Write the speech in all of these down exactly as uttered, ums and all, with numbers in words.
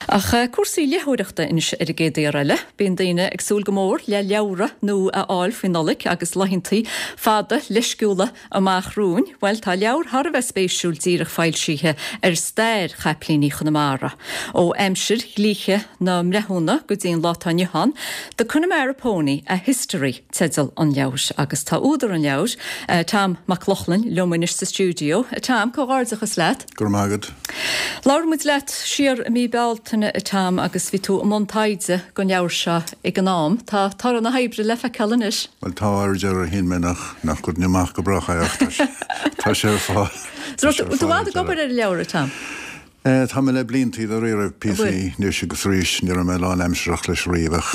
Ach cúrsaí léitheoireachta anois ar an gcéad iarraidh eile, bíonn daoine ag súil go mór le leabhra nua a fháil faoin Nollaig agus laethanta fada leisciúla amach romhainn. Bhuel tá leabhar thar a bheith spéisiúil díreach foilsithe ar stair chaiplíní Chonamara. Ó aimsir dhlíthe na mbreithiúna go dtí an lá atá inniu ann, The Connemara Pony, a History teideal an leabhair agus tá údar an leabhair, uh, Tom Mac Lochlainn liom anois sa stiúideo. Tom, comhghairdeachas leat. Go raibh maith agat. Labhair muid leat siar i mí Bealtaine a Tom agus bhí tú i mbun taighde don leabhar seo ag an am. Tá toradh na hoibre le feiceáil anois. Well tá ar deireadh hin mé nach nach go amach go brách tá sé ar fáil. Tú ag obair ar an leabhar Tom? Eh, tá mé le blianta dáiríre píosaí anois agus arís ní raibh mé lánaimsearach leis riamh ach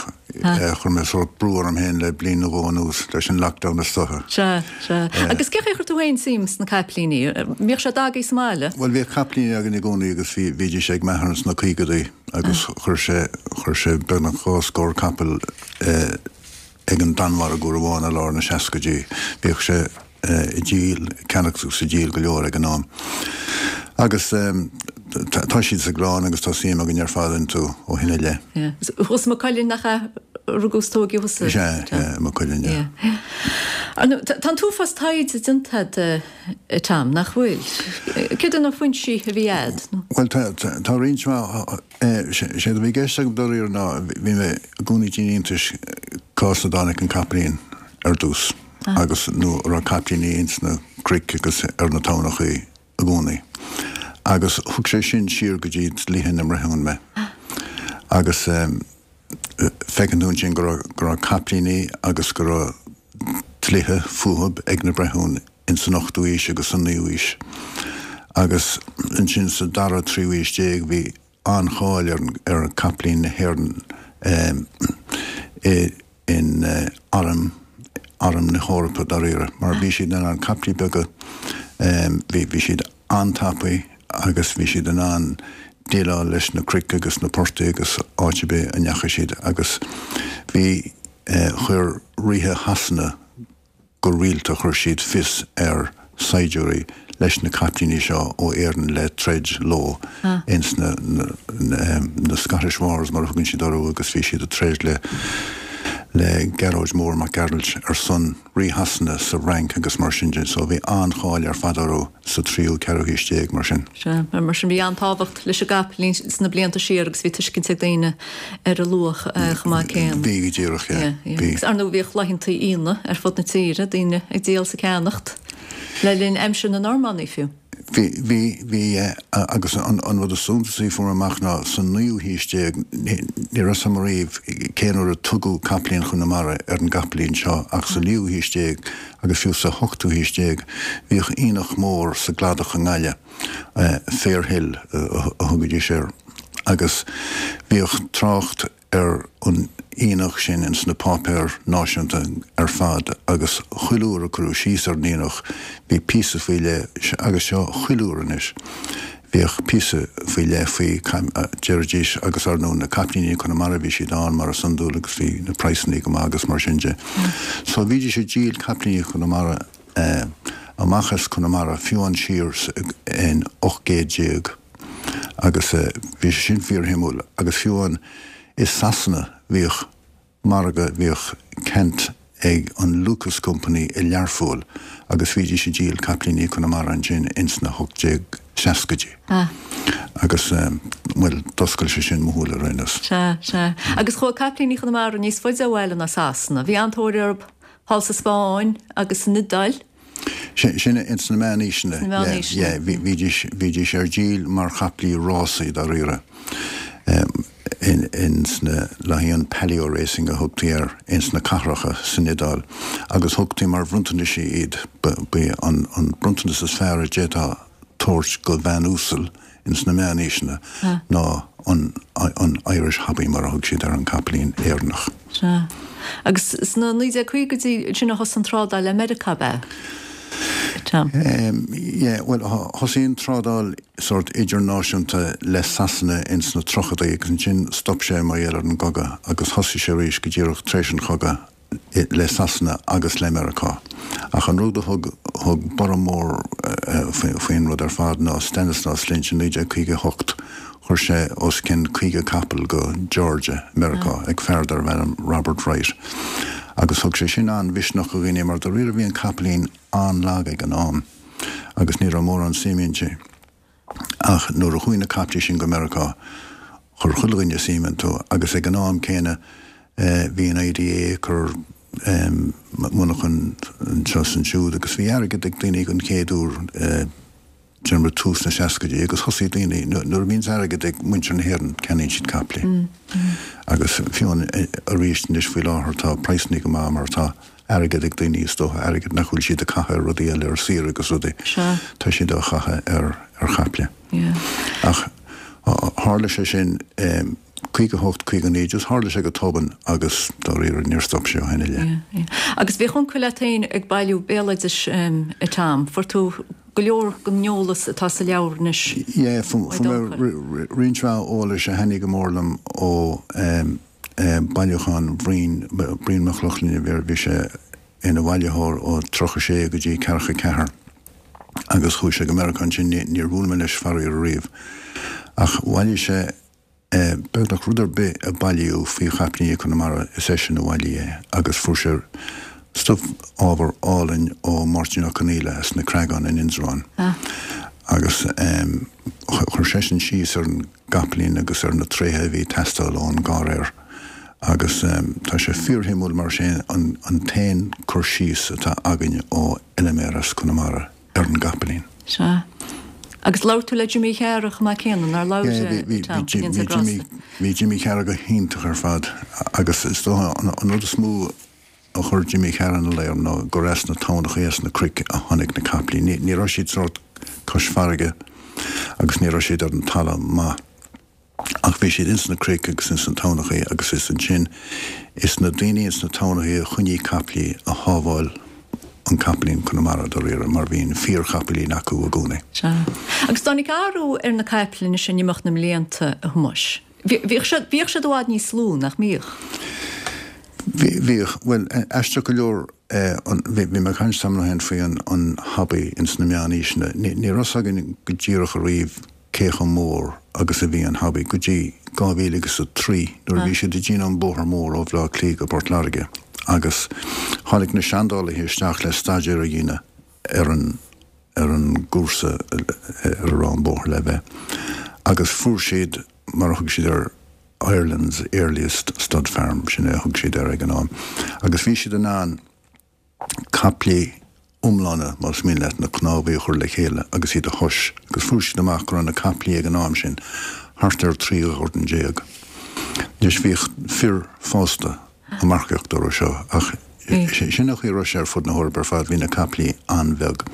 chuir mé sórt brú orm féin le bliain nó dhó anuas leis an lockdown is dócha. Sea, sea. Agus cén chaoi ar chuir tú féin suim sna caiplíní? Mbíodh sé agaibh sa mbaile? Well bhíodh caipíní againn i gcónaí agus bhí bhídís ag m'athair sna caogaidí agus chuir sé chuir sé beagnach dhá scór capall eh, ag an Danmhairg uair amháin i lár na seascaidí. Bhíodh sé ag díol ceannach agus ag díol go leor ag an am. Agus um, tá siad sa gclann agus tá suim againn ar fad iontu ó shin i leith. Thuas i Maigh Cuilinn nach ea rugadh is tógadh thusa? Sea, Maigh Cuilinn. Tá an t-uafás taighde déanta agat Tom nach bhfuil. Cé na foinsí a bhí agat? Well tá roinnt sé a bhí i gceist agam dáiríre ná bhí mé i gcónaí ag déanamh iontais cá as a dtáinig an capaillín ar dtús agus nó raibh capaillíní ins na cnoic agus ar na tamhnachaí i gcónaí. Agus thug sé sin siar go dtí dlíthe na mbreithiún mé. Agus um, feiceann tú sin go raibh capaillíní agus go raibh dlíthe fúthu ag na breithiúna in san ochtú haois agus san naoú haois. Agus ansin sa dara tríú haois déag bhí an-cháil ar, ar capaillín na hÉireann um, in uh, arm arm na hEorpa dáiríre, mar bhí siad in ann capaillíní beaga um, bhí bhí siad an-tapaidh agus bhí siad in ann déileáil leis na cnoic agus na portaigh agus áit ar bith a ndeachaigh siad agus bhí eh, chuir ríthe Shasana go rialta chuir siad fios ar saighdiúirí leis na capaillíní seo ó Éirinn le troid leo ah. ins na, na, na, na Scottish Wars mar thugann siad orthu agus bhí siad ag troid le le Gearóid Mór Mac Gearailt ar son rí Shasana sa Fhrainc agus mar sin de, so bhí an-cháil ar fad orthu sa tríú ceathrú haois déag mar sin. Sea, mar sin bhí an-tábhacht leis an gcapaillín sna blianta siar agus bhí tuiscint ag daoine ar a luach chomh maith céanna. Bhí go díreach Agus ar ndóigh bhíodh laethanta aonaigh ar fud na tíre, daoine ag díol is ag ceannacht le linn aimsir na Normannaí fiú. Bhí bhí bhí agus an an rud is suntasaí a fuair amach ná san naoú haois déag ní raibh a fhios agam riamh cén uair a tugadh capaillín Chonamara ar an gcapaillín seo ach sa naoú haois déag agus fiú sa hochtú haois déag bhíodh aonach mór sa gcladach i nGaillimh Fair Hill a thugaidís air agus bhíodh trácht ar an aonach sin ins na páipéir náisiúnta ar fad agus chuile uair a cuireadh síos ar an aonach bhí píosa faoi leith agus seo chuile uair anois bhíodh píosa faoi leith faoi deiridís agus ar ndóigh na capaillíní Chonamara bhí siad ann mar is iondúil agus bhí na praghsanna go maith agus mar sin de. So bhídís ag díol capaillíní Chonamara eh, amach as Conamara fiú an siar in ocht gcéad déag agus eh, bhí sé sin fíorshuimiúil agus fiú an i Sasana bhíodh margadh bhíodh ceant ag an Lucas Company i Learpholl agus bhídís ag díol capaillíní Chonamara ansin ins na hocht déag seascaidí. Ah. Agus um, well d'oscail sé sin mo shúile ar aon nós. Sea, sea. Agus chuaigh capaillíní Chonamara níos faide ó bhaile ná Sasana. Bhí an-tóir orthu thall sa Spáinn agus san Iodáil. Sin ins na meánaoiseanna. Bhídís bhídís ar díol mar chapaillí rásaí dáiríre. Um, in, ins na laethanta palio racing a thugtaí air ins na cathracha san Iodáil, agus thugtaí mar bhronntanais iad b'é an, an bronntanas is fearr a d'fhéadfá tabhairt go bhean uasal ins na meánaoiseanna ná an, an Irish Hobby mar a thug siad ar an capaillín Éireannach. Sea. Agus sna naoi déag caogaidí sin a thosaigh an trádáil le Meiriceá ab ea? Tom. Um, yeah, well, thosaigh an trádáil sort idirnáisiúnta le Sasana ins na tríochaidí agus ansin stop sé mar gheall ar an gcogadh agus thosaigh sé arís go díreach tar éis an chogadh le Sasana agus le Meiriceá. Ach an rud a thug thug borradh mór uh, faoin rud ar fad ná Stanislaus Lynch in naoi déag caoga hocht Chuir sé os cionn caoga capall go Georgia, Meiriceá, ag fear darbh ainm Robert Wright. Agus thug sé sin an-mhisneach do dhaoine mar dáiríre bhí an capaillín an-lag ag an am agus ní raibh mórán suim inti. Ach nuair a chuaigh na caiplí sin go Meiriceá, chuir chuile dhuine suim iontu agus ag an am céanna bhí an I D A ag cur monarchan anseo is ansiúd agus bhí airgead ag daoine den chéad uair déarfainn tús na seascaidí agus thosaigh daoine, nuair a bhíonns airgead ag muintir na hÉireann ceannaíonn siad caiplí. Agus fiú arís anois faoi láthair tá praghsanna go maith mar tá airgead ag daoine is dócha, airgead nach bhfuil siad ag caitheamh ar rudaí eile ar saoire agus rudaí, tá siad á chaitheamh ar ar chaiple. Ach tharla sé sin caoga hocht, caoga naoi, just tharla sé go tobann agus dáiríre níor stop sé ó shin i leith. Agus bhíodh uncail leat féin ag bailiú béaloidis a Tom, fuair tú go leor den eolas atá sa leabhar anois. Yeah, fuair mé roinnt mhaith eolais a thaitnigh go mór liom ó bailiúchán Bhriain, Brian Mac Lochlainn, bhí sé ina bhailitheoir ó tríocha sé go dtí ceathracha ceathair agus chuaigh sé go Meiriceá ansin, níor bhuail mé leis faraor ariamh. Ach bhailigh sé beagnach rud ar bith a bailíodh faoi chapaillíní Chonamara, is eisean a bhailigh é agus fuair sé stuif ábhar álainn ó Mháirtín Ó Conaola as na Creagáin in Indreabhán agus chuir seisean síos ar an gcapaillín agus ar na tréithe a bhí ag teastáil ón gcarraeir agus tá sé fíorshuimiúil mar sin an t-aon cur síos atá againn ó fheiliméar as Conamara ar an gcapaillín. Sea. Agus labhair tú le Jimí Chearra chomh maith céanna, nár labhair, a Tom, Bhí Jimí, bhí Jimí Chearra go hiontach ar fad agus is dócha an rud is mó a chuir Jimí Chearra ina luí orm ná gur as na tamhnachaí as na cnoic a tháinig na caiplíní. Ní raibh siad sórt cois farraige agus ní raibh siad ar an talamh maith. Ach bhí siad ins na cnoic agus ins na tamhnachaí agus is ansin is na daoine ins na tamhnachaí a choinnigh caiplí a shábháil an capaillín Conamara dáiríre mar bhí an fíorchapaillín acu i gcónaí. Sea. Agus tháinig athrú ar na caiple anois in imeacht na mblianta, a Thomáis. Bhíodh siad bhíodh siad i bhfad níos lú, nach mbíodh? Bhí, bhíodh. Bhuel, aisteach go leor, bhí mé ag caint tamall ó shin faoi an an hobby ins na meánaoiseanna. Ní ní raibh 's againn go díreach ariamh cé chomh mór agus a bhí an hobby go dtí dhá mhíle agus a trí nuair a bhí siad ag déanamh an bóthar mór ó Bhleá Cliath go Port Láirge agus tháinig na seandálaithe isteach le staidéar a dhéanamh ar an ar an gcúrsa ar a raibh an bóthar le bheith agus fuair siad mar a thug siad air Ireland's earliest stud farm, sin é a thug siad air ag an am agus bhí siad in ann caiplí iomlána, más mian leat, na cnámhaí a chur le chéile agus iad a thomhas, agus fuair siad amach go raibh na caiplí ag an am sin thart ar trí dhorn déag. Anois bhíodh fir fásta ag marcaíocht orthu seo, ach sin an chaoi a raibh sé ar fud na hEorpa ar fad, bhí na caiplí an-bheag.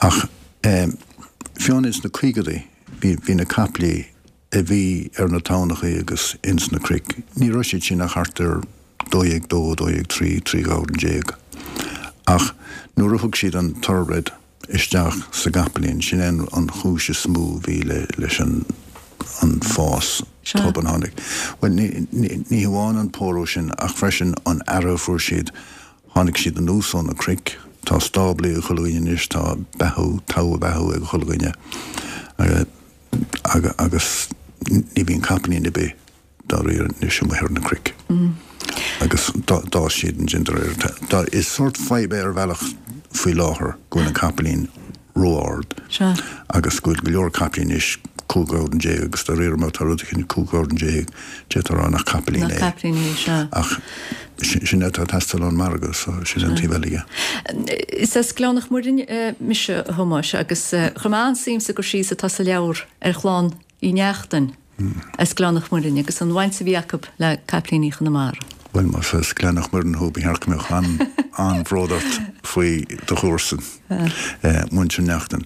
Ach fiú ins na caogaidí bhí na caiplí a bhí ar na tamhnachaí agus ins na cnoic, ní raibh siad sin ach thart ar dó dhéag dó, dó dhéag trí, trí dhorn déag. Ach nuair a thug siad an thoroughbred isteach sa gcapaillín, sin é an chúis is mó a bhí leis an an fás tobann a tháinig. Bhuel, ní, ní, ní hamháin an pórú sin ach freisin an aire a fuair siad, tháinig siad anuas ó na cnoic, tá stáblaí ag chuile dhuine anois, tá beathú, togha beathú ag chuile dhuine. Agus ní bhíonn capaillín ar bith dáiríre anois amuigh ar na cnoic. Agus d'fhás siad ansin de réir. Is sórt fadhb é ar bhealach faoi láthair go bhfuil an capaillín ró-ard agus go bhfuil go leor caiplí anois cúig dhorn déag agus dáiríre má tá rud éicint cúig dhorn déag d'fhéadfá a rá nach capaillín é. Nach capaillín é, sea. Ach sin é atá ag teastáil ón margadh so sin an taobh eile dhe. Is as Gleann Mhuirinn mise, a Thomáis, agus chuir mé an-suim sa gcur síos atá sa leabhar ar chlann Uí Neachtain as Gleann Mhuirinn agus an bhaint a bhí acu le Caiplíní Chonamara. Bhuel, más as Gleann Mhuirinn thú, ba cheart go mbeadh an-bhród ort faoi do chomharsain, muintir Neachtain.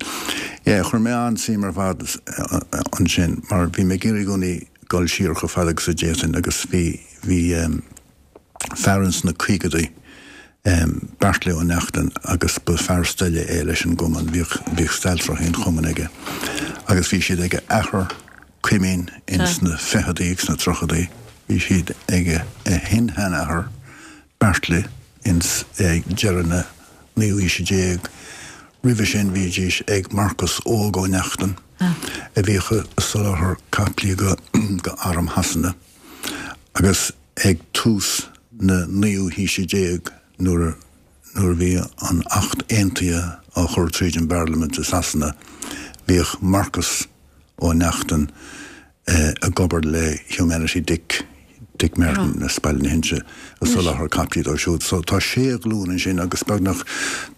Yeah, chuir mé an-suim ar fad ansin mar bhí mé ag iarraidh i gcónaí dul siar chomh fada agus a d'fhéadfainn agus bhí, bhí fear ins na caogaidí, Beairtle Ó Neachtain agus ba fear staile é leis an gcumann, bhíodh, bhíodh stail tráthaí an chumainn aige agus bhí siad ag a athair Cuimín ins na ficheadaí agus na tríochadaí, bhí siad ag a shin-sheanathair Beairtle ins ag deireadh na naoú haoise déag, Roimhe sin bhídís ag Marcas Óg Ó Neachtain a bhíodh ag soláthar caiplí go go arm Shasana agus ag tús na naoú haoise déag nuair nuair a bhí an Acht Aontaithe á chur tríd an bParlaimint i Sasana bhíodh Marcas Ó Neachtain ag obair le Humanity Dick Dick Martin as Baile na hInse ag soláthar caiplí dó siúd. So tá sé ghlúin ansin agus beagnach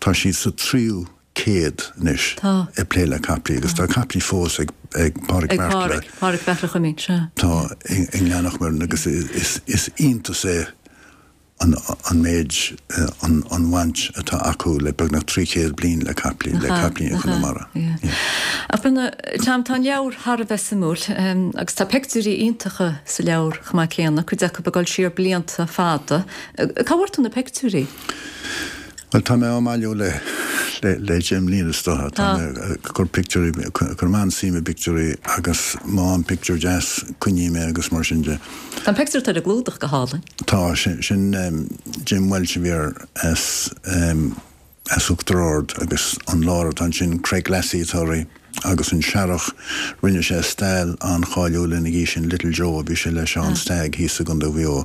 tá siad sa tríú céad anois ag plé le caiplí agus tá caiplí fós ag ag Pádraig Beartla. Ag Pádraig Beartla Chuimín, sea. Tá i nGleann Mhic Muirne agus is is iontach é an an méid an an bhaint atá acu le beagnach trí chéad bliain le caiplí le caiplíní Chonamara. Ach Tom tá an leabhar thar a bheith suimiúil agus tá pictiúirí iontacha sa leabhar chomh maith céanna, cuid acu ag dul siar blianta fada. Cá bhfuair tú na pictiúirí? Bhuel tá mé á mbailiú le le le deich mbliana is dócha. Tá mé ag cur pictiúirí, cuirim an-suim i bpictiúirí agus má fhaighim pictiúr deas coinním é agus mar sin de. Tá an pictiúr atá ar an gclúdach go hálainn. Tá, sin sin Jim Welch a bhí air as as Uachtar Ard agus an lára atá ansin Craig Lassie atá uirthi agus an searrach rinne sé stail an-cháiliúil ina dhiaidh sin Little Joe a bhí sé le Seán Stagg thíos i gContae Mhaigh Eo.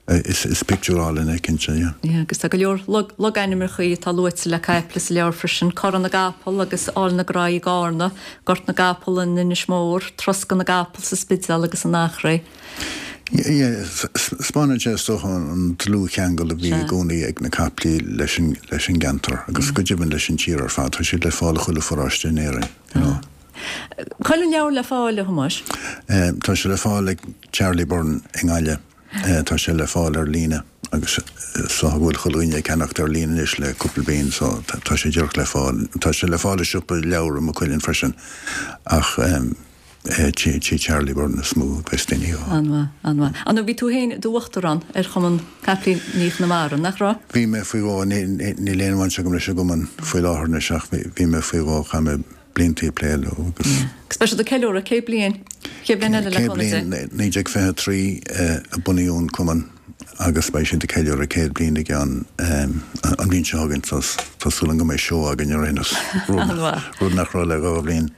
Is is pictiúr álainn é cinnte, yeah. Yeah, agus tá go leor logainmneacha atá luaite le caiple sa leabhar freisin, Corra na gCapall agus Áill na Graí i gCarna, Gort na gCapall in Inis Mór, Troscadh na gCapall sa Spidéal agus in Achréidh. Yeah, 'spáineann sé is dócha an dlúthcheangal a bhí i gcónaí ag na caiplí leis an leis an gceantar agus go deimhin leis an tír ar fad. Tá siad le fáil i chuile pharóiste in Éirinn, you know. Cá bhfuil an leabhar le fáil, a Thomáis? Tá sé le fáil ag Charlie Byrne i nGaillimh. Tá sé le fáil ar líne agus is dócha go bhfuil chuile dhuine ag ceannacht ar líne anois le cúpla bliain so tá sé díreach le fáil. Tá sé le fáil i siopa leabhar i Maigh Cuilinn freisin ach tí Charlie Byrne is mó a bheas daoine dhó. An-mhaith, an-mhaith. Ar ndóigh bhí tú féin i d'uachtarán ar Chumann Caiplíní Chonamara, nach raibh? Bhí mé faoi dhó, níl aon bhaint agam leis an gcumann faoi láthair anois ach bhí mé faoi dhó, chaith mé blianta ag plé leo agus. Agus beidh siad ag ceiliúradh céad bliain, céad bliain eile le Céad bliain, naoi déag fiche a trí a bunaíodh an cumann agus beidh siad ag ceiliúradh céad bliain i gceann an bhliain seo chugainn so tá súil agam go mbeidh seó againn ar aon nós, rud nach raibh le dhá bhliain.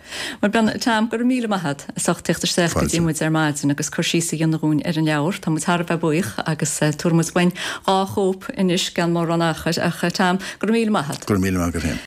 Bhuel a Tom, go raibh míle maith agat as ucht teacht isteach go dtí muid ar maidin agus cur síos a dhéanamh dhúinn ar an leabhar. Tá muid thar a bheith buíoch agus tabharfaidh muid uainn dhá chóip anois gan mórán achair ach Tom, go raibh míle maith agat. Go raibh míle maith agat féin.